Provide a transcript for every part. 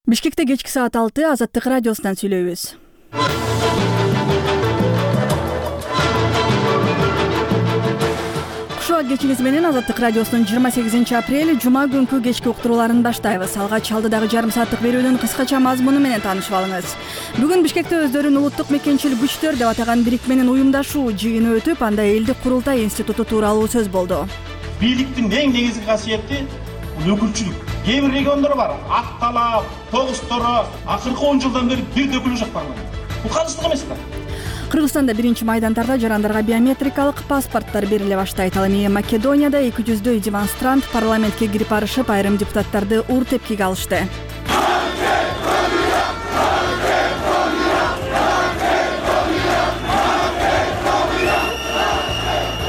Бишкекте кечки саат 6 Азаттык радиосунан сүйлөйбүз. Кушуа кечиңиз менен Азаттык радиосунун 28 апрель жума күнкү кечки уктурууларын баштайбыз. Алгач алдыдагы жарым сааттык берүүнүн кыскача мазмуну менен таанышып алыңыз. Бүгүн Бишкекте өздөрүн улуттук мекенчил күчтөр деп атаган бирикменин уюмдашуу жыйыны өтүп, анда элдик курултай институту тууралуу сөз болду. Бийликтин эң негизги касиети өкүлчүлүк. Кээ бир региондор бар, ак талап, тогусторо акыркы 10 жылдан бери бир өкүлү жок парламент. Бул калыстык эмес да. Кыргызстанда биринчи майдандарда жарандарга биометрикалык паспорттор бериле баштайт. Ал эми Македонияда 200дөй демонстрант парламентке кирип барышып, айрым депутаттарды ур тепкиге алышты.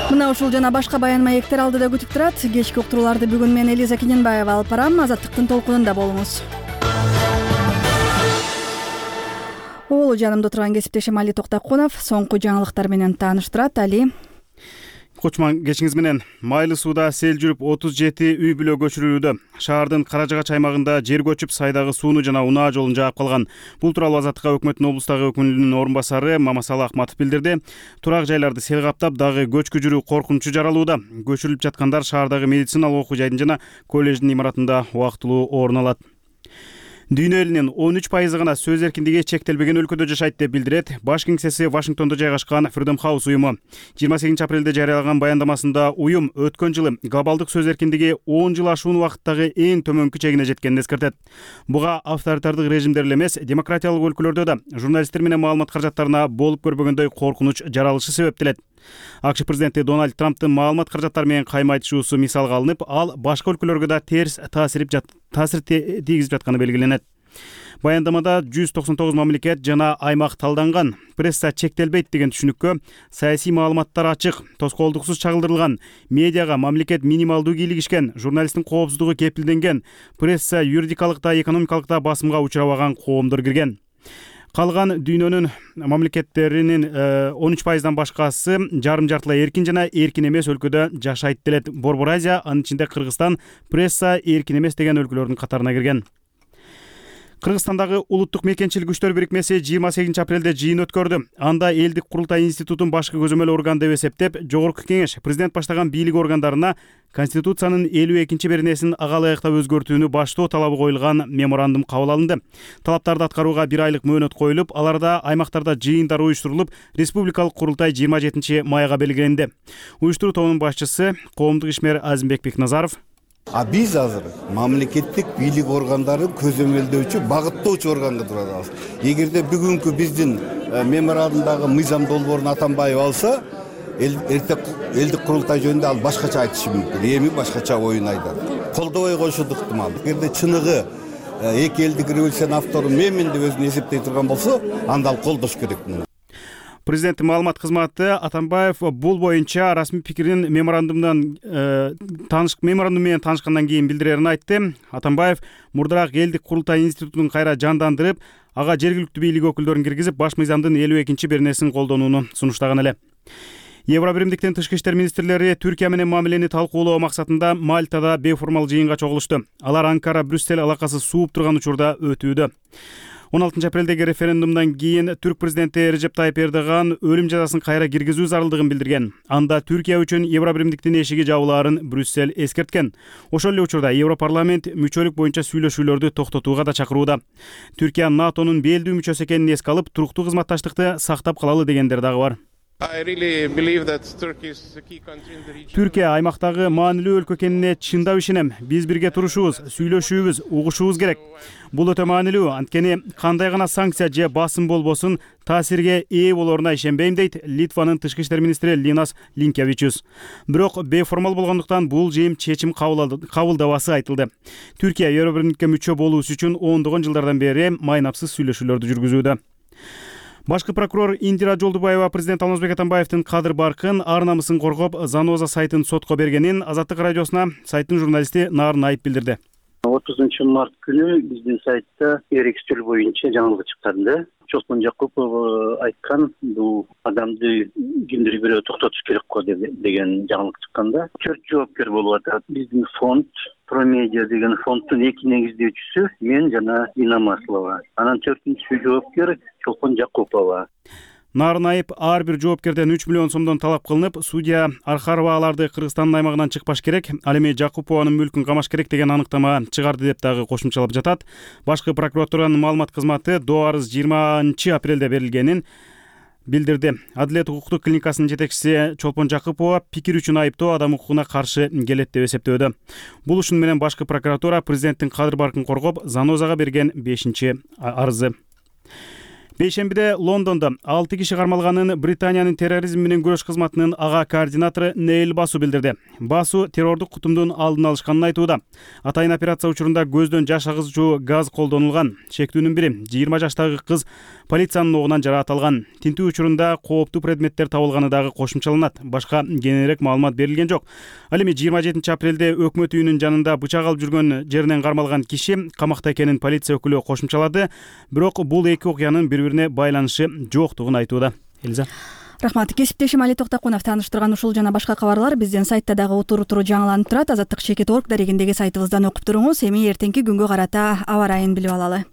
Мына ушул жана башка баян маектер алдыда күтүп турат. Кечки уктурууларды бүгүн мен Элиза Кененбаева алып барам. Азаттыктын толкунунда болуңуз. Оолу жанымда турган кесиптешим Али Токтокунов соңку жаңылыктар менен тааныштырат. Али. Кочман, кечиңиз менен. Майлы сууда сел жүрүп 37 үй бүлө көчүрүлүүдө. Шаардын Каражагач аймагында жер көчүп, сайдагы сууну жана унаа жолун жаап калган. Бул тууралуу Азаттыкка өкмөттүн облустагы өкүлүнүн орун басары Мамасалы Акматов билдирди. Турак жайларды сел каптап, дагы көчкү жүрүү коркунучу жаралууда. Көчүрүлүп жаткандар шаардагы медициналык окуу жайдын жана колледждин имаратында убактылуу орун алат. Дүйнө элинин 13% гана сөз эркиндиги чектелбеген өлкөдө жашайт деп билдирет баш кеңсеси Вашингтондо жайгашкан Freedom House уюму. 28 апрелде жарыялаган баяндамасында уюм өткөн жылы глобалдык сөз эркиндиги 10 жыл ашуун убакыттагы эң төмөнкү чегине жеткенин эскертет. Буга авторитардык режимдер эле эмес, демократиялык өлкөлөрдө да журналисттер менен маалымат каражаттарына болуп көрбөгөндөй коркунуч жаралышы себептелет. АКШ президенти Дональд Трамптын маалымат каражаттары менен кайма айтышуусу мисалга алынып, ал башка өлкөлөргө да терс таасир тийгизип жатканы белгиленет. Баяндамада 199 мамлекет жана аймак талданган. Пресса чектелбейт деген түшүнүккө саясий маалыматтар ачык, тоскоолдуксуз чагылдырылган, медиага мамлекет минималдуу кийлигишкен, журналисттин коопсуздугу кепилденген, пресса юридикалык да экономикалык да басымга учурабаган коомдор кирген. Калган дүйнөнүн мамлекеттеринин 13%дан башкасы жарым-жартылай эркин жана эркин эмес өлкөдө жашайт делет. Борбор Азия, анын ичинде Кыргызстан, пресса эркин эмес деген өлкөлөрдүн катарына кирген. Кыргызстандагы улуттук мекенчил күчтөр бирикмеси 28 апрелде жыйын өткөрдү. Анда элдик курултай институтун башкы көзөмөл орган деп эсептеп, Жогорку кеңеш президент баштаган бийлик органдарына Конституциянын 52-беренесин ага ылайыктап өзгөртүүнү баштоо талабы коюлган меморандум кабыл алынды. Талаптарды аткарууга 1 айлык мөөнөт коюлуп, аларда аймактарда жыйындар уюштурулуп, республикалык курултай 27 майга белгиленди. Уюштуруу тобунун башчысы коомдук ишмер Азимбек Бекназаров: Биз азыр мамлекеттик бийлик органдарын көзөмөлдөөчү, багыттоочу органга турабыз. Эгерде бүгүнкү биздин меморандумдагы мыйзам долбоорун Атамбаев алса, элдик курултай жөнүндө ал башкача айтышы мүмкүн. Эми башкача оюн айтат. Колдобой коюшу ыктымал. Эгерде чыныгы эки элдик революциянын автору менмин деп өзүн эсептей турган болсо, анда ал колдош керек. Президенттин маалымат кызматы Атамбаев бул боюнча расмий пикирин меморандум менен таанышкандан кийин билдирерин айтты. Атамбаев мурдараак элдик курултай институтун кайра жандандырып, ага жергиликтүү бийлик өкүлдөрүн киргизип, баш мыйзамдын 52-беренесин колдонууну сунуштаган эле. Евробиримдиктин тышкы иштер министрлери Түркия менен мамилени талкуулоо максатында Мальтада бейформал жыйынга чогулушту. Алар Анкара-Брюссель алакасы сууп турган учурда өтүүдө. 16 апрелдеги референдумдан кийин түрк президенти Режеп Тайып Эрдоган өлүм жазасын кайра киргизүү зарылдыгын билдирген. Анда Түркия үчүн Евробиримдиктин эшиги жабылаарын Брюссель эскерткен. Ошол эле учурда Европарламент мүчөлүк боюнча сүйлөшүүлөрдү токтотууга да чакырууда. Түркия НАТОнун белдүү мүчөсү экенин эске алып, туруктуу кызматташтыкты сактап калалы дегендер дагы бар. Түркия аймактагы маанилүү өлкө экенине чындап ишенем. Биз бирге турушубуз, сүйлөшүүбүз, угушубуз керек. Бул өтө маанилүү, анткени кандай гана санкция же басым болбосун таасирге ээ болоруна ишенбейм, дейт Литванын тышкы иштер министри Линас Линкевичус. Бирок бейформал болгондуктан бул жыйын чечим кабылдабасы айтылды. Түркия Евробиримдикке мүчө болуусу үчүн ондогон жылдардан бери майнапсыз сүйлөшүүлөрдү жүргүзүүдө. Башкы прокурор Индира Жолдубаева президент Алмазбек Атамбаевдин кадыр баркын, ар намысын коргоп, Заноза сайтын сотко бергенин Азаттык радиосуна сайттын журналисти Нарын Айып билдирди. 30 март күнү биздин сайтта эрекчил боюнча жаңылык чыкканда, Чолпон Жакупов айткан, бул адамды кимдир бирөө токтотуш керек го деген жаңылык чыкканда, 4 жоопкер болуп атат. Биздин фонд Промедиа деген фонддун 2 негиздөөчүсү мен жана Инам Аслова. Анан 4-үнчү жоопкер Чолпон Жакупова. Нарын айып ар бир жоопкерден 3 миллион сомдон талап кылынып, судья Архарова аларды Кыргызстандын аймагынан чыкпаш керек, ал эми Жакупованын мүлкүн камаш керек деген аныктама чыгарды деп дагы кошумчалап жатат. Башкы прокуратуранын маалымат кызматы доо арыз 20 апрелде берилгенин билдирди. Адилет укуктук клиникасынын жетекчиси Чолпон Жакупова пикир үчүн айыптоо адам укугуна каршы келет деп эсептөөдө. Бул ишин менен башкы прокуратура президенттин кадыр баркын коргоп, Занозага берген 5-арызы. Бейшембиде Лондондо 6 киши кармалганын Британиянын терроризм менен күрөш кызматынын ага координатору Нейл Басу билдирди. Басу террордук кутумдун алдын алышканын айтууда. Атайын операция учурунда көздөн жаш агызуучу газ колдонулган. Шектүүнүн бири 20 жаштагы кыз полициянын огунан жараат алган. Тинтүү учурунда кооптуу предметтер табылганы дагы кошумчаланат. Башка кененирээк маалымат берилген жок. Ал эми 27 апрелде өкмөт үйүнүн жанында бычак алып жүргөн жеринен кармалган киши камакта экенин полиция өкүлү кошумчалады. Бирок бул эки окуянын бири-бирине байланышы жоктугун айтууда. Элиза. Рахмат. Кесиптешим Али Токтакунов тааныштырган ушул жана башка кабарлар биздин сайтта дагы утуру жаңыланып турат. Азаттык.org дарегиндеги сайтыбыздан окуп туруңуз. Эми эртеңки күнгө карата аба ырайын билип алалы.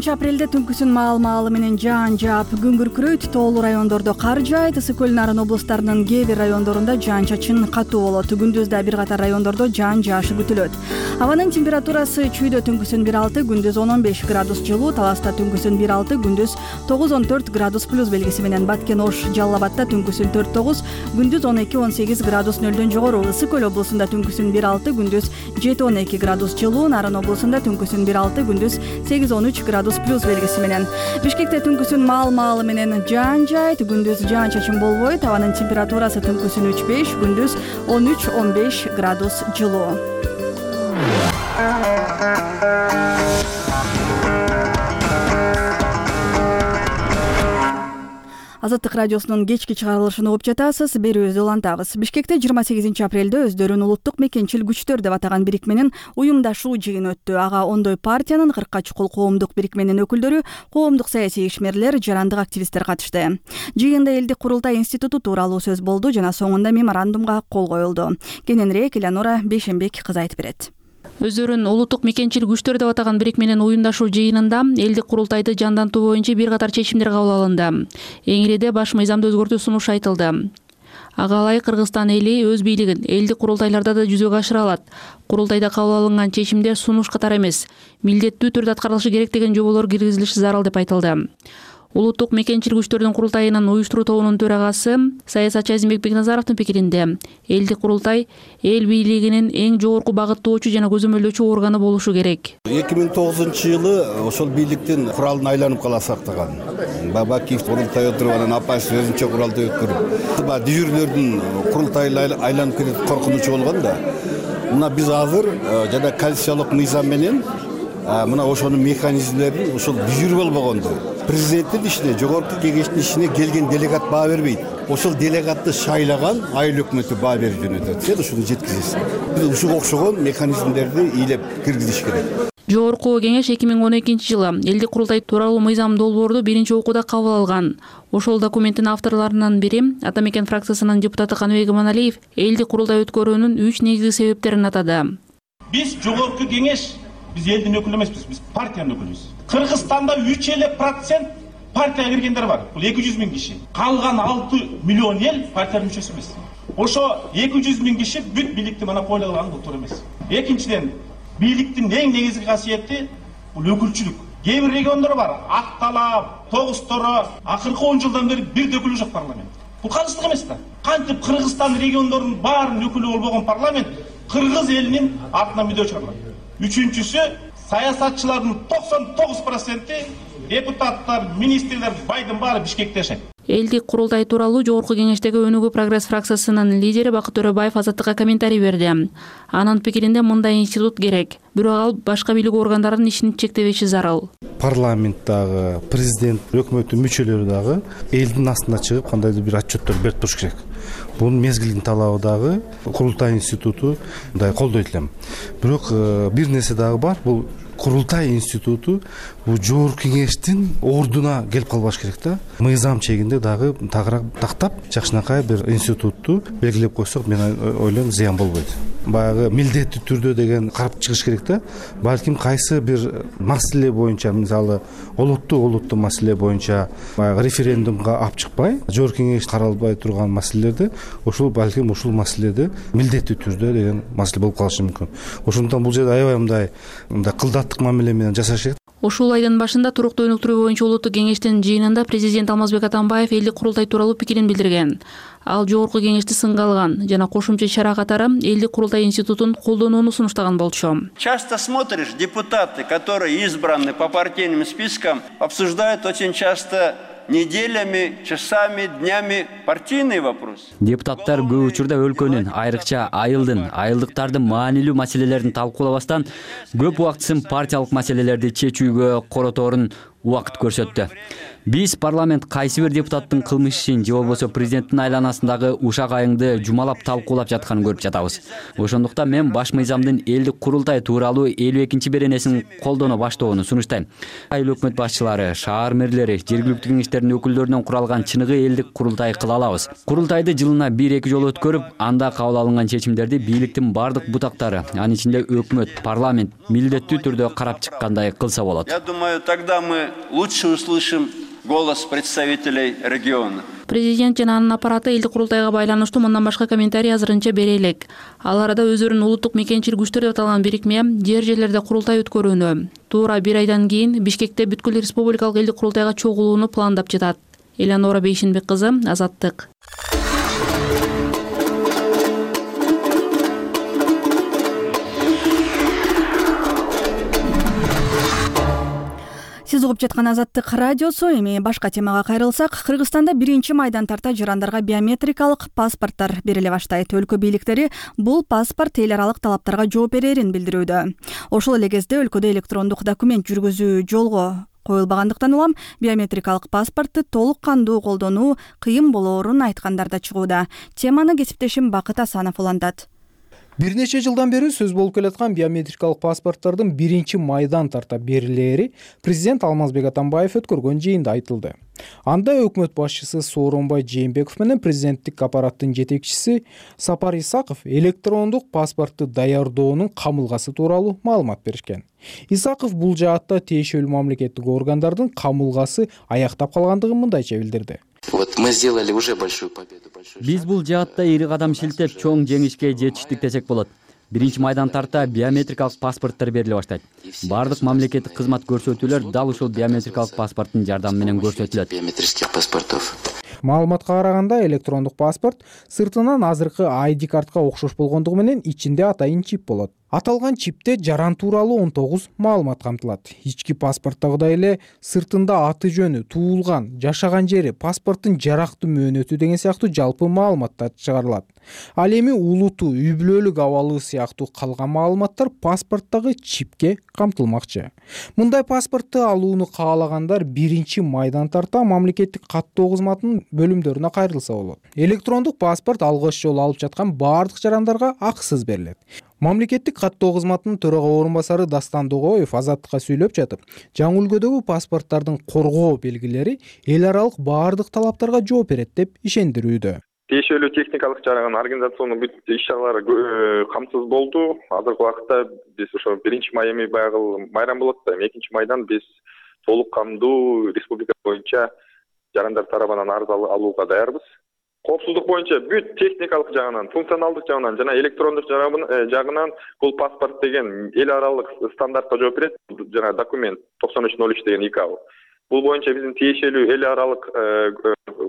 Апрелде түнкүсүн маал менен жаан жаап күн күркүрөйт. Тоолуу райондордо кар жаайт. Ысык көл Нарын облустарынын кээ бир райондорунда жаан-чачын катуу болот. Күндүз да бир катар райондордо жаан жаашы күтүлөт. Абанын температурасы Чүйдө түнкүсүн 1,6, күндүз 10-15 градус жылуу, Таласта түнкүсүн 1,6, күндүз 9-14 градус плюс белгиси менен, Баткен, Ош, Жалал Абадта түнкүсүн 4-9, күндүз 12-18 градус нөлдөн жогору. Ысык көл облусунда түнкүсүн 1,6, күндүз 7-12 градус жылуу, Нарын облусунда түнкүсүн 1,6, күндүз 8-13 градус плюс белгиси менен. Бишкекте түнкүсүн маал менен жаан жаайт, күндүз жаан-чачын болбойт. Абанын температурасы түнкүсүн 3-5, күндүз 13-15 градус жылуу. Азаттык радиосунун кечки чыгарылышын угуп жатасыз. Берүүбүздү улантабыз. Бишкекте 28 апрелде өздөрүн улуттук мекенчил күчтөр деп атаган бирикменин уюмдашуу жыйыны өттү. Ага ондой партиянын 40-ка чукул коомдук бирикменин өкүлдөрү, коомдук саясий ишмерлер, жарандык активисттер катышты. Жыйында элдик курултай институту тууралуу сөз болду жана соңунда меморандумга кол коюлду. Кененирээк Элеонора Бейшембек кыз айтып берет. Өздөрүн улуттук мекенчил күчтөр деп атаган бирикменин уюмдашуу жыйынында элдик курултайды жандантуу боюнча бир катар чечимдер кабыл алынды. Эң ириде баш мыйзамды өзгөртүү сунушу айтылды. Ага ылайык Кыргызстан эли өз бийлигин элдик курултайларда да жүзөгө ашыра алат. Курултайда кабыл алынган чечимдер сунуш катары эмес, милдеттүү түрдө аткарылышы керек деген жоболор киргизилиши зарыл деп айтылды. Улуттук мекенчил күчтөрдүн курултайынын уюштуруу тобунун төрагасы саясатчы Азимбек Бекназаровдун пикиринде элдик курултай эл бийлигинин эң жогорку багыттоочу жана көзөмөлдөөчү органы болушу керек. 2009-жылы ошол бийликтин куралын айланып кала сактаган. Бабакиев курултай отуруп анан Апаев өзүнчө куралды өткөрүп, дежүрлөрдүн курултайы айланып кетет коркунучу болгон да. Мына биз азыр жана конституциялык мыйзам менен мына ошонун механизмдерин ошол дежур болбогонду. Президенттин ишине, жогорку кеңештин ишине келген делегат баа бербейт. Ошол делегатты шайлаган айыл өкмөтү баа берип жөнөтөт. Сен ушуну жеткизесиң. Биз ушуга окшогон механизмдерди ыйлап киргизиш керек. Жогорку кеңеш 2012 жылы элдик курултай тууралуу мыйзам долбоорду биринчи окууда кабыл алган. Ошол документтин авторлорунун бири Атамекен фракциясынын депутаты Каныбек Иманалиев элдик курултай өткөрүүнүн 3 негизги себептерин атады. Биз жогорку кеңеш, биз элдин өкүлү эмеспиз, биз партиянын өкүлүбүз. Кыргызстанда 3% партияга киргендер бар. Бул 200 миң киши. Калган 6 миллион эл партиянын мүчөсү эмес. Ошо 200 миң киши бүт бийликти монополия кылган бул туура эмес. Экинчиден, бийликтин эң негизги касиети бул өкүлчүлүк. Кээ бир региондор бар, Ак Талап, Тогусторо акыркы 10 жылдан бери бир өкүлү жок парламент. Бул калыстык эмес да. Кантип Кыргызстан региондорунун баарынын өкүлү болбогон парламент кыргыз элинин артынан мүдө чыгарат. Үчүнчүсү, саясатчылардын 99% депутаттар, министрлер байдын баары Бишкекте жашайт. Элдик курултай тууралуу жогорку кеңештеги Өнүгүү прогресс фракциясынын лидери Бакыт Төрөбаев Азаттыкка комментарий берди. Анын пикиринде мындай институт керек, бирок ал башка бийлик органдарынын ишин чектебеши зарыл. Парламент дагы, президент, өкмөттүн мүчөлөрү дагы элдин астына чыгып кандайдыр бир отчеттор берип туруш керек. Бунун мезгилдин талабы дагы курултай институту мындай колдойт элем. Бирок бир нерсе дагы бар, бул курултай институту бул жогорку кеңештин ордуна келип калбаш керек да. Мыйзам чегинде дагы тагыраак тактап, жакшынакай бир институтту белгилеп койсок, мен ойлойм зыян болбойт. Баягы милдеттүү түрдө деген карап чыгыш керек да. Балким кайсы бир маселе боюнча, мисалы олуттуу маселе боюнча баягы референдумга алып чыкпай, жогорку кеңеш каралбай турган маселелерди ошол балким ушул маселеде милдеттүү түрдө деген маселе болуп калышы мүмкүн. Ошондуктан бул жерде аябай мындай кылдаттык мамиле менен жасаш керек. Ушул айдын башында туруктуу өнүктүрүү боюнча улуттук кеңештин жыйынында президент Алмазбек Атамбаев элдик курултай тууралуу пикирин билдирген. Ал жогорку кеңешти сынга алган жана кошумча чара катары элдик курултай институтун колдонууну сунуштаган болчу. Часто смотришь, депутаты, которые избраны по партийным спискам, обсуждают очень часто неделями, часами, днями партийный вопрос. Депутаттар көп учурда өлкөнүн, айрыкча айылдыктардын маанилүү маселелерин талкуулабастан көп убактысын партиялык маселелерди чечүүгө короторун убакыт көрсөттү. Биз парламент кайсы бир депутаттын кылмыш ишин же болбосо президенттин айланасындагы ушак айыңды жумалап талкуулап жатканын көрүп жатабыз. Ошондуктан мен баш мыйзамдын элдик курултай тууралуу 52 беренесин колдоно баштоону сунуштайм. Айыл өкмөт башчылары, шаар мэрлери, жергиликтүү кеңештердин өкүлдөрүнөн куралган чыныгы элдик курултай кыла алабыз. Курултайды жылына 1-2 жолу өткөрүп, анда кабыл алынган чечимдерди бийликтин бардык бутактары, анын ичинде өкмөт, парламент милдеттүү түрдө карап чыккандай кылса болот. Я думаю, тогда мы лучше услышим голос представителей региона. Президент жана анын аппараты элдик курултайга байланыштуу мындан башка комментарий азырынча бере элек. Ал арада өздөрүнүн улуттук мекенчил күчтөр деп аталган бирикме жерлерде курултай өткөрүүнү туура 1 айдан кийин Бишкекте бүткүл республикалык элдик курултайга чогулууну пландап жатат. Элеонора Бейшенбек кызы, Азаттык. Сиз угуп жаткан Азаттык радиосу. Эми башка темага кайрылсак, Кыргызстанда 1-майдан тарта жарандарга биометрикалык паспорттор бериле баштайт. Өлкө бийликтери бул паспорт эл аралык талаптарга жооп берерин билдирүүдө. Ошол эле кезде өлкөдө электрондук документ жүргүзүү жолго коюлбагандыктан улам биометрикалык паспортту толук кандуу колдонуу кыйын болоорун айткандар да чыгууда. Теманы кесиптешим Бакыт Асанов улантат. Бир нече жылдан бери сөз болуп келаткан биометрикалык паспорттордун 1-майдан тарта берилери президент Алмазбек Атамбаев өткөргөн жыйында айтылды. Анда өкмөт башчысы Сооронбай Жээнбеков менен президенттик аппараттын жетекчиси Сапар Исаков электрондук паспортту даярдоонун камылгасы тууралуу маалымат беришкен. Исаков бул жаатта тиешелүү мамлекеттик органдардын камылгасы аяктап калгандыгын мындайча билдирди. Вот мы сделали уже большую победу. Биз бул жаатта ири кадам шилтеп, чоң жеңишке жетиштик десек болот. 1-майдан тарта биометрикалык паспорттор бериле баштайт. Бардык мамлекеттик кызмат көрсөтүүлөр дал ушул биометрикалык паспорттун жардамы менен көрсөтүлөт. Биометрических паспортов. Маалыматка караганда электрондук паспорт сыртынан азыркы ID картка окшош болгондугу менен ичинде атайын чип болот. Аталган чипте жаран тууралуу 19 маалымат камтылат. Ички паспорттогудай эле сыртында аты жөнү, туулган, жашаган жери, паспорттун жарактуу мөөнөтү деген сыяктуу жалпы маалыматтар чыгарылат. Ал эми улуту, үй бүлөлүк абалы сыяктуу калган маалыматтар паспорттогу чипке камтылмакчы. Мындай паспортту алууну каалагандар 1-майдан тарта мамлекеттик каттоо кызматынын бөлүмдөрүнө кайрылса болот. Электрондук паспорт алгач жолу алып жаткан бардык жарандарга акысыз берилет. Мамлекеттик каттоо кызматынын төрага орун басары Дастан Догоев Азаттыкка сүйлөп жатып, жаңы үлгүдөгү паспорттардын коргоо белгилери эл аралык бардык талаптарга жооп берет деп ишендирүүдө. Тиешелүү техникалык жагынан организациондук бүт иш-чаралар камсыз болду. Азыркы убакытта биз ошо 1-май эми баягы майрам болот да, 2-майдан биз толук камдуу республика боюнча жарандар тарабынан арыз алууга даярбыз. Коопсуздук боюнча бүт техникалык жагынан, функционалдык жагынан жана электрондук жагынан бул паспорт деген эл аралык стандартка жооп берет. Жана документ 9303 деген ИКАО. Бул боюнча биздин тиешелүү эл аралык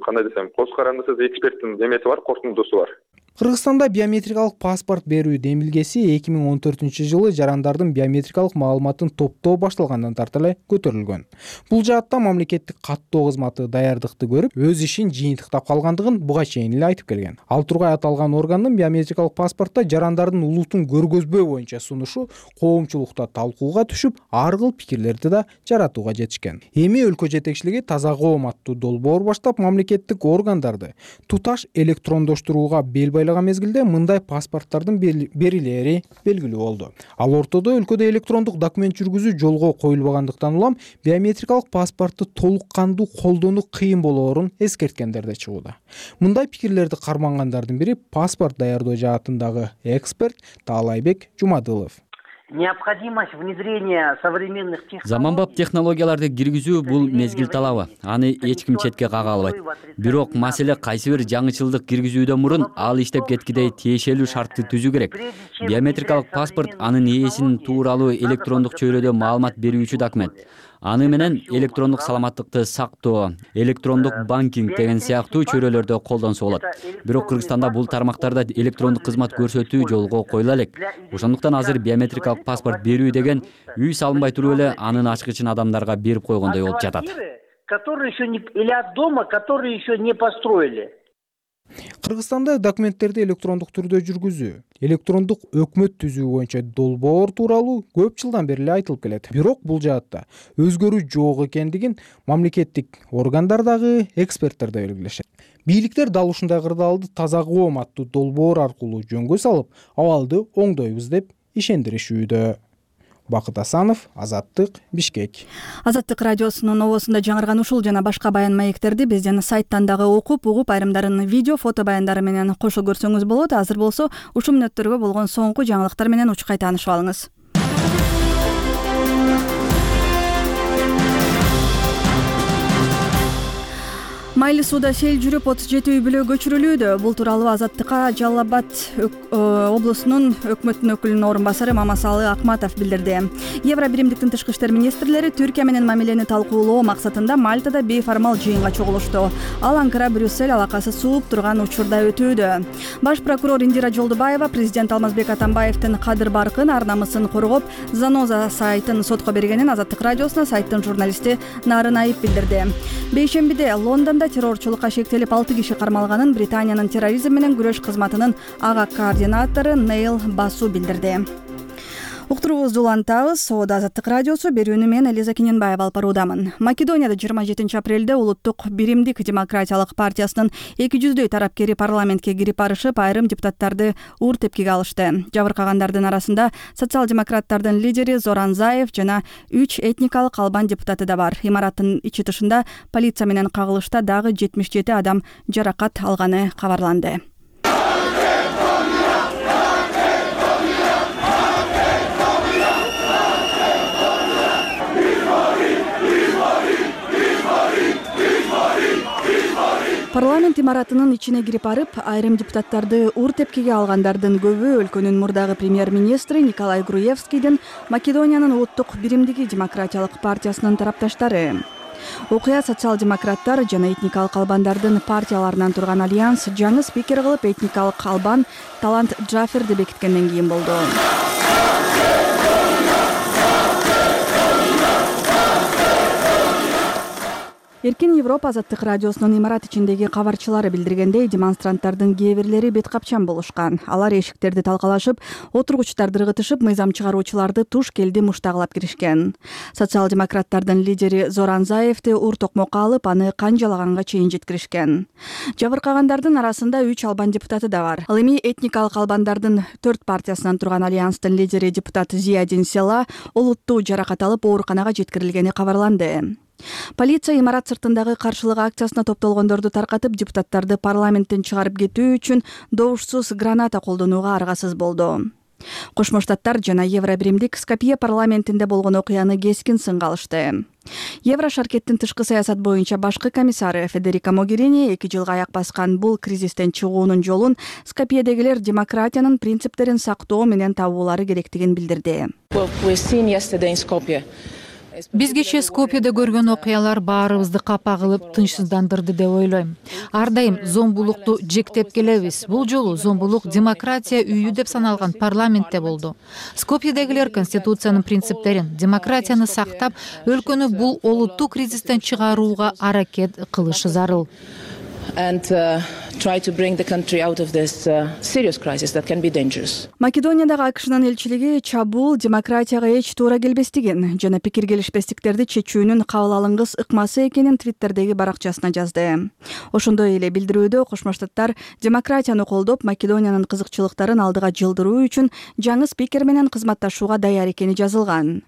кандай десем, коз карандысыз эксперттин эмеси бар, корутундусу бар. Кыргызстанда биометрикалык паспорт берүү демилгеси 2014-жылы жарандардын биометрикалык маалыматын топтоо башталгандан тарта эле көтөрүлгөн. Бул жаатта мамлекеттик каттоо кызматы даярдыкты көрүп, өз ишин жыйынтыктап калгандыгын буга чейин эле айтып келген. Ал тургай аталган органдын биометрикалык паспортто жарандардын улутун көргөзбөө боюнча сунушу коомчулукта талкууга түшүп, ар кыл пикирлерди да жаратууга жетишкен. Эми өлкө жетекчилиги таза коом аттуу долбоор баштап, мамлекеттик органдарды туташ электрондоштурууга бел мезгилде мындай паспорттардын берилери белгилүү болду. Ал ортодо өлкөдө электрондук документ жүргүзүү жолго коюлбагандыктан улам биометрикалык паспортду толук кандуу колдонуу кыйын болоорун эскерткендер да чыгууда. Мындай пикирлерди кармангандардын бири паспорт даярдоо жаатындагы эксперт Таалайбек Жумадылов. Необходимость внедрения современных технологий. Заманбап технологияларды киргизүү бул мезгил талабы. Аны эч ким четке кага албайт. Бирок маселе кайсы бир жаңычылдык киргизүүдөн мурун ал иштеп кеткидей тиешелүү шартты түзүү керек. Биометрикалык паспорт анын ээсинин тууралуу электрондук чөйрөдө маалымат берүүчү документ. Аны менен электрондук саламаттыкты сактоо, электрондук банкинг деген сыяктуу чөйрөлөрдө колдонсо болот. Бирок Кыргызстанда бул тармактарда электрондук кызмат көрсөтүү жолго коюла элек. Ошондуктан азыр биометрикалык паспорт берүү деген үй салынбай туруп эле анын ачкычын адамдарга берип койгондой болуп жатат. Которые еще не или от дома, которые еще не построили. Кыргызстанда документтерди электрондук түрдө жүргүзүү, электрондук өкмөт түзүү боюнча долбоор тууралуу көп жылдан бери эле айтылып келет. Бирок бул жаатта өзгөрүү жок экендигин мамлекеттик органдардагы эксперттер да белгилешет. Бийликтер дал ушундай кырдаалды таза коом аттуу долбоор аркылуу жөнгө салып, абалды оңдойбуз деп ишендиришүүдө. Бакыт Асанов, Азаттык, Бишкек. Азаттык радиосунун обосунда жаңырган ушул жана башка баян маектерди бизден сайттан дагы окуп, угуп, айрымдарын видео, фото баяндары менен кошо көрсөңүз болот. Азыр болсо ушул мүнөттөргө болгон соңку жаңылыктар менен учкай таанышып алыңыз. Майлы сууда сел жүрүп 37 үй бүлө көчүрүлүүдө. Бул тууралуу Азаттыкка Жалал Абад облусунун өкмөтүнүн өкүлүнүн орун басары Мамасалы Акматов билдирди. Евро биримдиктин тышкы иштер министрлери Түркия менен мамилени талкуулоо максатында Мальтада бейформал жыйынга чогулушту. Ал Анкара Брюссель алакасы сууп турган учурда өтүүдө. Баш прокурор Индира Жолдубаева президент Алмазбек Атамбаевдин кадыр баркын, ар намысын коргоп, Заноза сайтын сотко бергенин Азаттык радиосуна сайттын журналисти Нарын Айып билдирди. Бейшембиде Лондондо террорчулукка шектелип 6 киши кармалганын Британиянын терроризм менен күрөш кызматынын ага координатору Нейл Басу билдирди. Уктуруубузду улантабыз. Соода Азаттык радиосу, берүүнү мен Элиза Кененбаева алып баруудамын. Македонияда 27 апрелде Улуттук биримдик демократиялык партиясынын 200дөй тарапкери парламентке кирип барышып, айрым депутаттарды уур тепкиге алышты. Жабыркагандардын арасында социал-демократтардын лидери Зоран Заев жана 3 этникалык албан депутаты да бар. Имараттын ичи тышында полиция менен кагылышта дагы 77 адам жаракат алганы кабарланды. Парламент имаратынын ичине кирип барып, айрым депутаттарды уур тепкиге алгандардын көбү өлкөнүн мурдагы премьер-министри Николай Груевскийдин Македониянын Улуттук биримдиги демократиялык партиясынын тарапташтары. Окуя социал-демократтар жана этникалык албандардын партияларынан турган альянс жаңы спикер кылып этникалык албан Талант Джаферди бекиткенден кийин болду. Эркин Европа Азаттык радиосунун имарат ичиндеги кабарчылары билдиргендей, демонстранттардын кээ бирлери бет капчан болушкан. Алар эшиктерди талкалашып, отургучтарды ыргытышып, мыйзам чыгаруучуларды туш келди муштагылап киришкен. Социал-демократтардын лидери Зоран Заевди уур токмокко алып, аны канжалаганга чейин жеткиришкен. Жабыркагандардын арасында 3 албан депутаты да бар. Ал эми этникалык албандардын 4 партиясынан турган альянстын лидери депутат Зиядин Села олуттуу жаракат алып ооруканага жеткирилгени кабарланды. Полиция имарат сыртындагы каршылык акциясына топтолгондорду таркатып, депутаттарды парламенттен чыгарып кетүү үчүн добушсуз граната колдонууга аргасыз болду. Кошмо Штаттар жана Евро биримдик Скопье парламентинде болгон окуяны кескин сынга алышты. Евро шаркеттин тышкы саясат боюнча башкы комиссары Федерика Могерини 2 жылга аяк баскан бул кризистен чыгуунун жолун Скопьедегилер демократиянын принциптерин сактоо менен табуулары керектигин билдирди. Биз кечээ Скопьеде көргөн окуялар баарыбызды капа кылып, тынчсыздандырды деп ойлойм. Ар дайым зомбулукту жектеп келебиз. Бул жолу зомбулук демократия үйү деп саналган парламентте болду. Скопьедегилер конституциянын принциптерин, демократияны сактап, өлкөнү бул олуттуу кризистен чыгарууга аракет кылышы зарыл. Македониядагы АКШнын элчилиги чабуул демократияга эч туура келбестигин жана пикир келишпестиктерди чечүүнүн кабыл алынгыс ыкмасы экенин Твиттердеги баракчасына жазды. Ошондой эле билдирүүдө Кошмо Штаттар демократияны колдоп, Македониянын кызыкчылыктарын алдыга жылдыруу үчүн жаңы спикер менен кызматташууга даяр экени жазылган.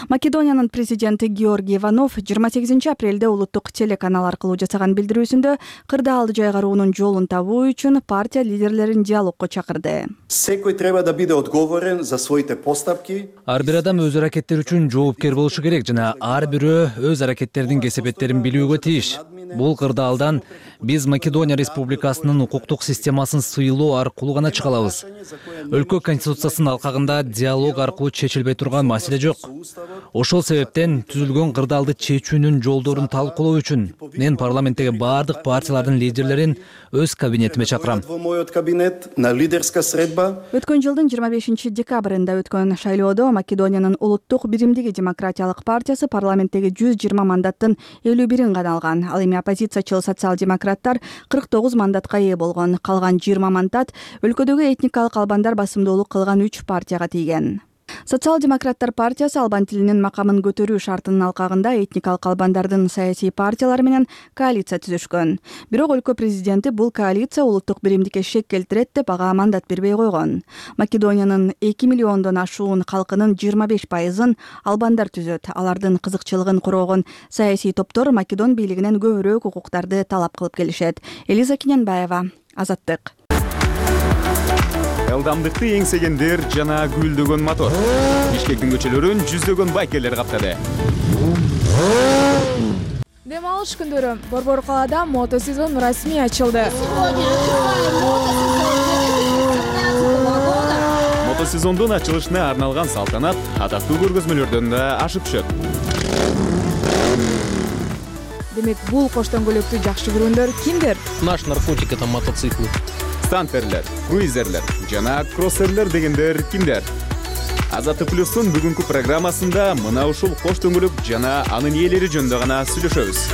Македониянын президенти Георгий Иванов 28 апрелде улуттук телеканал аркылуу жасаган билдирүүсүндө кырдаалды жайгаруунун жолун табуу үчүн партия лидерлерин диалогко чакырды. Секој треба да биде одговорен за своите постапки. Ар бир адам өз аракеттери үчүн жоопкер болушу керек жана ар бирөө өз аракеттеринин кесепеттерин билүүгө тийиш. Бул кырдаалдан биз Македония Республикасынын укуктук системасын сыйлоо аркылуу гана чыга алабыз. Өлкө конституциясынын алкагында диалог аркылуу чечилбей турган маселе жок. Ошол себептен түзүлгөн кырдаалды чечүүнүн жолдорун талкуулоо үчүн мен парламенттеги бардык партиялардын лидерлерин өз кабинетиме чакырам. Өткөн жылдын 25 декабрында өткөн шайлоодо Македониянын улуттук биримдиги демократиялык партиясы парламенттеги 120 мандаттын 51-ин гана алган. Ал эми оппозициячыл социал-демократтар 49 мандатка ээ болгон. Калган 20 мандат өлкөдөгү этникалык албандар басымдуулук кылган 3 партияга тийген. Социал-демократтар партиясы албан тилинин макамын көтөрүү шартынын алкагында этникалык албандардын саясий партиялары менен коалиция түзүшкөн. Бирок өлкө президенти бул коалиция улуттук биримдикке шек келтирет деп ага мандат бербей койгон. Македониянын 2 миллиондон ашуун калкынын 25%-ын албандар түзөт. Алардын кызыкчылыгын короогон саясий топтор Македон бийлигинен көбүрөөк укуктарды талап кылып келишет. Элиза Киненбаева, Азаттык. Ылдамдыкты эңсегендер жана гүлдөгөн мотор. Бишкектин көчөлөрүн жүздөгөн байкерлер каптады. Дем алыш күндөрү Борбор калаада мотосезон расмий ачылды. Мотосезондун ачылышына арналган салтанат атактуу көргөзмөлөрдөн да ашып түшөт. Демек, бул коштон көлөктү жакшы көргөндөр кимдер? Наш наркотик это мотоциклы. Стантерлер, круизерлер жана кроссерлер дегендер кимдер? Азаттык плюстун бүгүнкү программасында мына ушул кош дөңгөлөк жана анын ээлери жөнүндө гана сүйлөшөбүз.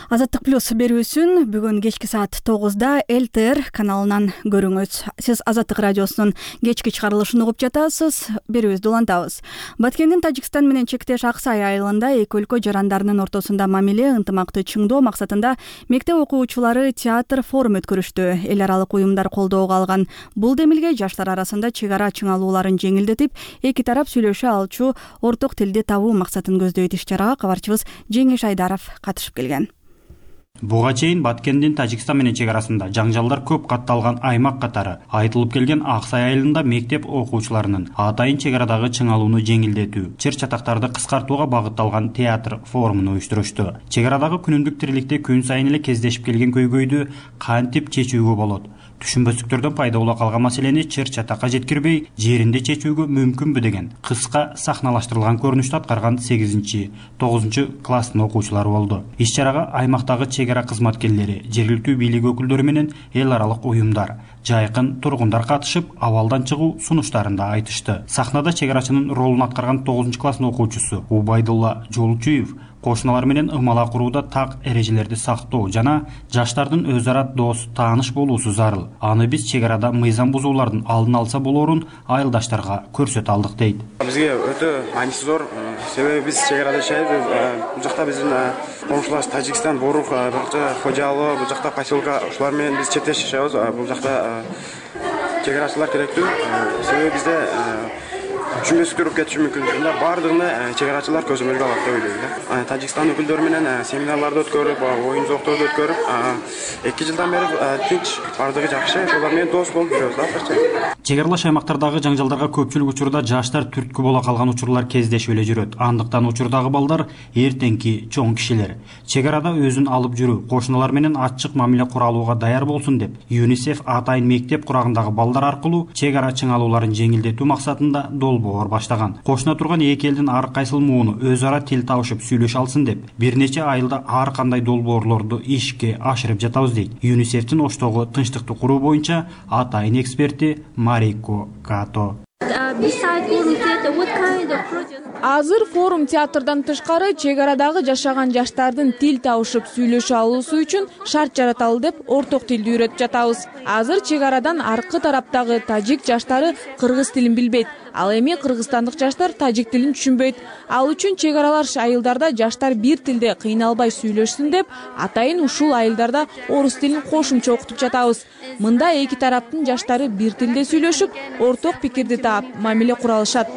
Азаттык плюс берүүсүн бүгүн кечки саат 9-да ЛТР каналынан көрүңүз. Сиз Азаттык радиосунун кечки чыгарылышын угуп жатасыз. Берүүбүздү улантабыз. Баткендин Тажикстан менен чектеш Аксай айылында эки өлкө жарандарынын ортосунда мамиле ынтымакты чыңдоо максатында мектеп окуучулары театр форум өткөрүштү. Эл аралык уюмдар колдоого алган бул демилге жаштар арасында чек ара чыңалууларын жеңилдетип, эки тарап сүйлөшө алчу орток тилди табуу максатын көздөйт. Иш-чарага кабарчыбыз Жеңиш Айдаров катышып келген. Буга чейин Баткендин Тажикстан менен чек арасында жаңжалдар көп катталган аймак катары айтылып келген Аксай айылында мектеп окуучуларынын атайын чек арадагы чыңалууну жеңилдетүү, чыр чатактарды кыскартууга багытталган театр форумун уюштурушту. Чек арадагы күнүмдүк тириликте күн сайын эле кездешип келген көйгөйдү кантип чечүүгө болот? Түшүнбөстүктөрдөн пайда боло калган маселени чыр чатакка жеткирбей, жеринде чечүүгө мүмкүнбү деген кыска сахналаштырылган көрүнүштү аткарган 8-9 класстын окуучулары болду. Иш-чарага аймактагы чек ара кызматкерлери, жергиликтүү бийлик өкүлдөрү менен эл аралык уюмдар, жайкын тургундар катышып, абалдан чыгуу сунуштарын да айтышты. Сахнада чек арачынын ролун аткарган 9 класстын окуучусу Убайдулла Жолчуев кошуналар менен ымала курууда так эрежелерди сактоо жана жаштардын өз ара дос, тааныш болуусу зарыл. Аны биз чек арада мыйзам бузуулардын алдын алса болоорун айылдаштарга көрсөтө алдык дейт. Бизге өтө мааниси зор, себеби биз чек арада жашайбыз. Бул жакта биздин комшуларыбыз Тажикстан, Борух, Кожалы, бул жакта поселка, ушулар менен биз чектеш жашайбыз. Бул жакта чек арачылар керектүү. Себеби бизде түшүнбөстүктөр болуп кетиши мүмкүн. Анда бардыгына чек арачылар көзөмөлгө алат деп ойлойм. Тажикстан өкүлдөрү менен семинарларды өткөрүп, оюн зоокторду өткөрүп, 2 жылдан бери тынч, бардыгы жакшы, ошолар менен дос болуп жүрөбүз азырчы. Чек аралаш аймактардагы жаңжалдарга көпчүлүк учурда жаштар түрткү боло калган учурлар кездешип эле жүрөт. Андыктан учурдагы балдар эртеңки чоң кишилер. Чек арада өзүн алып жүрүү, кошуналар менен ачык мамиле куралууга даяр болсун деп, ЮНИСЕФ атайын мектеп курагындагы балдар аркылуу чек ара чыңалууларын жеңилдетүү максатында долбоор долбоор баштаган. Кошуна турган эки элдин ар кайсыл мууну өз ара тил табышып сүйлөшө алсын деп бир нече айылда ар кандай долбоорлорду ишке ашырып жатабыз дейт ЮНИСЕФтин Оштогу тынчтыкты куруу боюнча атайын эксперти Марико Като. Азыр форум театрдан тышкары чек арадагы жашаган жаштардын тил табышып сүйлөшө алуусу үчүн шарт жараталы деп орток тилди үйрөтүп жатабыз. Азыр чек арадан аркы тараптагы тажик жаштары кыргыз тилин билбейт. Ал эми кыргызстандык жаштар тажик тилин түшүнбөйт. Ал үчүн чек аралаш айылдарда жаштар бир тилде кыйналбай сүйлөшсүн деп атайын ушул айылдарда орус тилин кошумча окутуп жатабыз. Мында эки тараптын жаштары бир тилде сүйлөшүп, орток пикирди таап, мамиле кура алышат.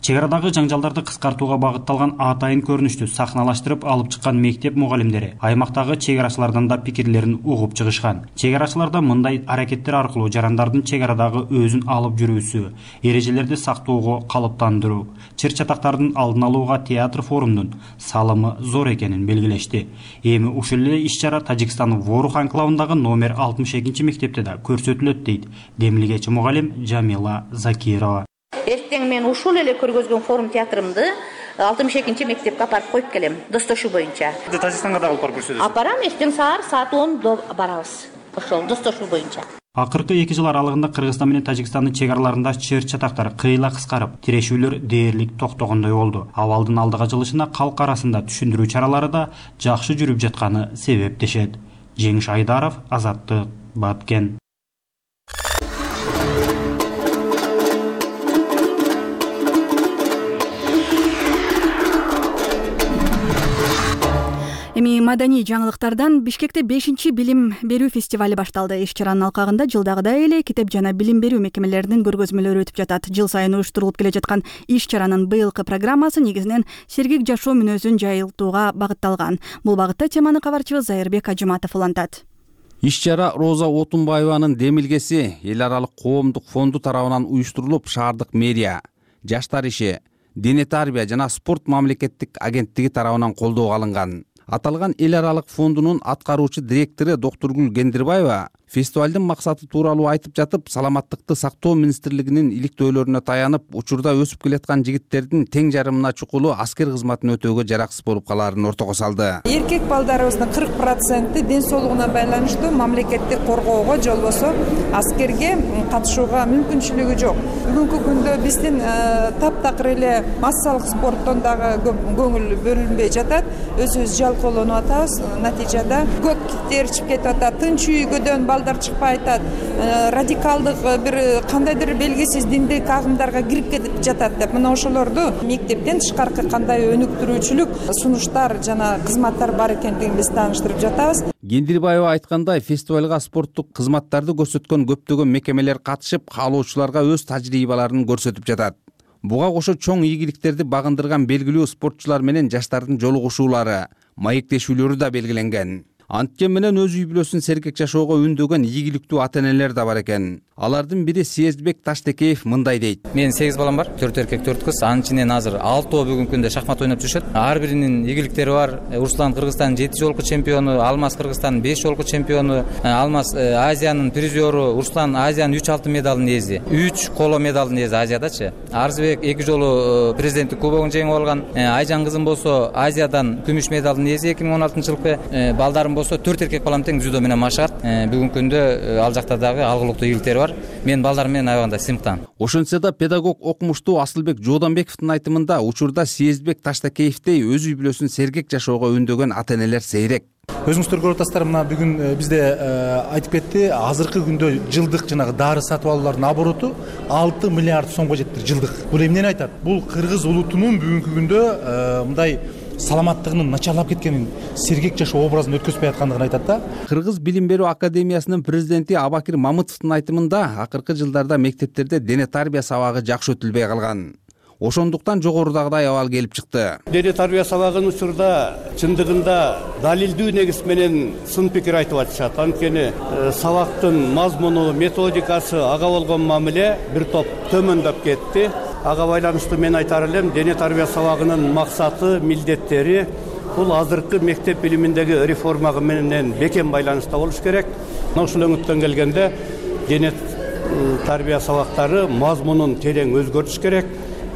Чек арадагы жаңжалдарды кыскартууга багытталган атайын көрүнүштү сахналаштырып алып чыккан мектеп мугалимдери аймактагы чек арачылардан да пикирлерин угуп чыгышкан. Чек арачыларда мындай аракеттер аркылуу жарандардын чек арадагы өзүн алып жүрүүсү, эрежелерди сактоого калыптандыруу, чыр чатактардын алдын алууга театр форумдун салымы зор экенин белгилешти. Эми ушул эле иш-чара Тажикстандын Ворух анклавындагы номер 62 мектепте да көрсөтүлөт дейт демилгечи мугалим Жамила Закирова. Эртең мен ушул эле көргөзгөн форум театрымды 62 мектепке апарып коюп келем, достошуу боюнча. Тажикстанга да алып барып көрсөтөсүз? Апарам, эртең саат 10 барабыз. Ошол достошуу боюнча. Акыркы 2 жыл аралыгында Кыргызстан менен Тажикстандын чек араларында чыр чатактар кыйла кыскарып, тирешүүлөр дээрлик токтогондой болду. Абалдын алдыга жылышына калк арасында түшүндүрүү чаралары да жакшы жүрүп жатканы себептешет. Жеңиш Айдаров, Азаттык, Баткен. Эми маданий жаңылыктардан Бишкекте 5-чи билим берүү фестивали башталды. Иш-чаранын алкагында жылдагыдай эле китеп жана билим берүү мекемелеринин көргөзмөлөрү өтүп жатат. Жыл сайын уюштурулуп келе жаткан иш-чаранын быйылкы программасы негизинен сергек жашоо мүнөзүн жайылтууга багытталган. Бул багытта теманы кабарчыбыз Зайырбек Ажыматов улантат. Иш-чара Роза Отунбаеванын демилгеси эл аралык коомдук фонду тарабынан уюштурулуп, шаардык мэрия, жаштар иши, дене тарбия жана спорт мамлекеттик агенттиги тарабынан колдоого алынган. Аталган эл аралык фондунун аткаруучу директору Доктургүл Гендирбаева фестивалдын максаты тууралуу айтып жатып, саламаттыкты сактоо министрлигинин иликтөөлөрүнө таянып, учурда өсүп келаткан жигиттердин тең жарымына чукулу аскер кызматын өтөөгө жараксыз болуп калаарын ортого салды. Эркек балдарыбыздын 40% ден соолугуна байланыштуу мамлекеттик коргоого, жолбосо аскерге катышууга мүмкүнчүлүгү жок. Бүгүнкү күндө биздин таптакыр эле массалык спорттон дагы көңүл бөлүнбөй жатат. Өзүбүз жалкоолонуп атабыз. Натыйжада көк тер чыгып кетип атат. Тынч үйгөдөн балдар чыкпай атат. Радикалдык бир кандайдыр белгисиз диндик агымдарга кирип кетип жатат деп. Мына ошолорду мектептен тышкаркы кандай өнүктүрүүчүлүк сунуштар жана кызматтар бар экендигин биз тааныштырып жатабыз. Гендирбаева айткандай, фестивалга спорттук кызматтарды көрсөткөн көптөгөн мекемелер катышып, каалоочуларга өз тажрыйбаларын көрсөтүп жатат. Буга кошо чоң ийгиликтерди багындырган белгилүү спортчулар менен жаштардын жолугушуулары, маектешүүлөрү да белгиленген. Анткени менен өз үй бүлөсүн сергек жашоого үндөгөн ийгиликтүү ата-энелер да бар экен. Алардын бири Сезбек Таштекеев мындай дейт. Мен 8 балам бар, 4 эркек, 4 кыз. Анын ичинен азыр 6 бүгүнкү күндө шахмат ойноп жүрүшөт. Ар биринин ийгиликтери бар. Руслан Кыргызстандын 7 жолку чемпиону, Алмаз Кыргызстандын 5 жолку чемпиону, Алмаз Азиянын призеру, Руслан Азиянын 3 алтын медалын ээзи, 3 коло медалын ээзи Азиядачы. Арзыбек 2 жолу президенттик кубогун жеңип алган. Айжан кызым болсо Азиядан күмүш медалын ээзи 2016-жылкы. Балдарым болсо 4 эркек балам тең дзюдо менен машыгат. Бүгүнкү күндө ал жакта дагы алгылыктуу ийгиликтери бар. Мен балдарым менен аябаганда сыймыктан. Ошентсе да педагог окумуштуу Асылбек Жооданбековдун айтымында учурда Сезбек Таштакеевдей өз үй бүлөсүн сергек жашоого үндөгөн ата-энелер сейрек. Өзүңүздөр көрүп атасыздар, мына бүгүн бизде айтып кетти, азыркы күндө жылдык жанагы дары сатып алуулардын обороту 6 миллиард сомго жетти жылдык. Бул эмнени айтат? Бул кыргыз улутунун бүгүнкү күндө мындай саламаттыгынын начарлап кеткенин, сергек жашоо образын өткөзбөй аткандыгын айтат да. Кыргыз билим берүү академиясынын президенти Абакир Мамытовдун айтымында, акыркы жылдарда мектептерде дене тарбия сабагы жакшы өтүлбөй калган. Ошондуктан жогорудагыдай абал келип чыкты. Дене тарбия сабагынын учурда чындыгында далилдүү негиз менен сын пикир айтып атышат. Анткени сабактын мазмуну, методикасы, ага болгон мамиле бир топ төмөндөп кетти. Ага байланыштуу мен айтар элем, дене тарбия сабагынын максаты, милдеттери бул азыркы мектеп билиминдеги реформага менен бекем байланышта болуш керек. Ошол өңүттөн келгенде дене тарбия сабактары мазмунун терең өзгөртүш керек.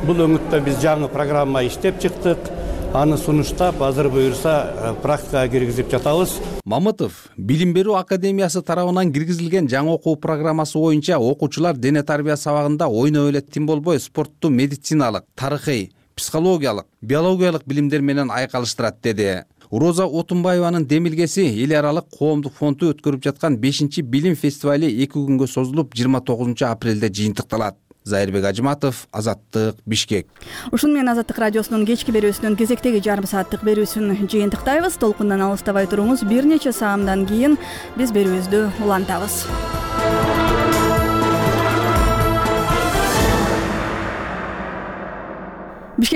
Бул өңүттө биз жаңы программа иштеп чыктык. Аны сунуштап, азыр буюрса практикага киргизип жатабыз. Мамытов Билим берүү академиясы тарабынан киргизилген жаңы окуу программасы боюнча окуучулар дене тарбия сабагында ойноп эле тим болбой спортту медициналык, тарыхый, психологиялык, биологиялык билимдер менен айкалыштырат деди. Роза Отунбаеванын демилгеси эл аралык коомдук фонду өткөрүп жаткан 5-чи билим фестивали 2 күнгө созулуп 29 апрелде жыйынтыкталат. Зайырбек Ажыматов, Азаттык, Бишкек. Ушун менен Азаттык радиосунун кечки берүүсүнүн кезектеги жарым сааттык берүүсүн жыйынтыктайбыз. Толкундан алыстабай туруңуз. Бир нече саамдан кийин биз берүүбүздү улантабыз. Бишкекте